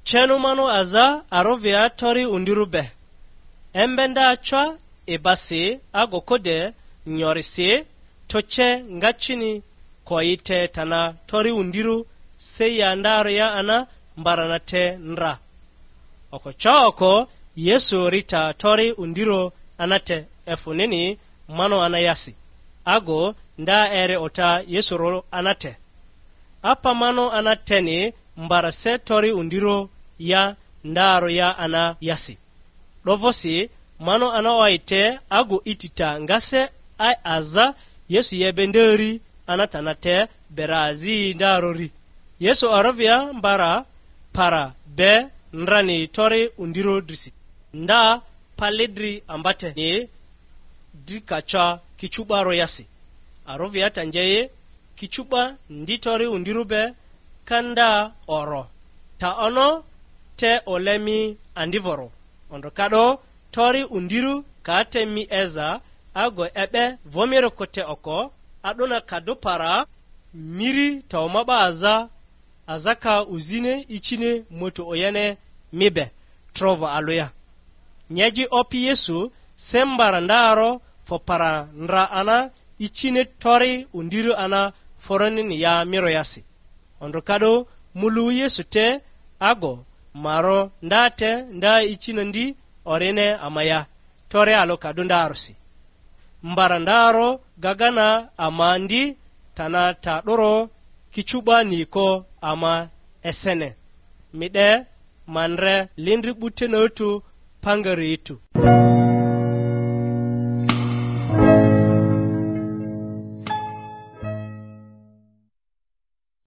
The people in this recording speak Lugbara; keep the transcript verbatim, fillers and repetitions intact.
Cenu manu aza arovia tori undirᴜ be. Embe nda cwa ibasi ago kode nyorisi, toce nga cini koyi te tana tori undirᴜ se ya ndarᴜ ya ana mbarana te ndra. Oko cwa oko Yesu ri ta tori undirᴜ ana te, efᴜnini manu ana yasi. Ago nda eri ota Yesu rᴜ ana te. Apa manu ana teni mbara se tori undirᴜ ya ndarᴜ ya ana yasi. 'Dovosi manu ana oyi te ago itita nga se ai aza Yesu yebe nderi ana tana te bera azi ndarori. Yesu arovia mbara para be ndrani tori undirᴜ drisi. Nda pali dri ambateni dri ka ca kicu'ba royasi. Arovia ta nje yi, kicu'ba ndi tori undirᴜ be ka nda oro, ta ono te ole mi andivoro. Ondro ka'do tori undirᴜ ka te mi eza ago e'be vomiriko te oko, a'dona ka dᴜ para miri ta oma 'ba aza, aza ka uzine icini moto oyene mi be, trovo alᴜ ya. Nyeji Opi Yesu se mbara ndaro fo para ndra ana icini tori undirᴜ ana foronini ya miro yasi. Ondro ka'do mulu Yesu te ago maro nda te nda icina ndi orine ama ya, tore alᴜ ka'do ndarosi. Mbara ndaro gagana ama ndi tana ta 'doro kicu'ba niko ama esene. Mi 'de ma ndre lindri 'bu tena otu pangari itu.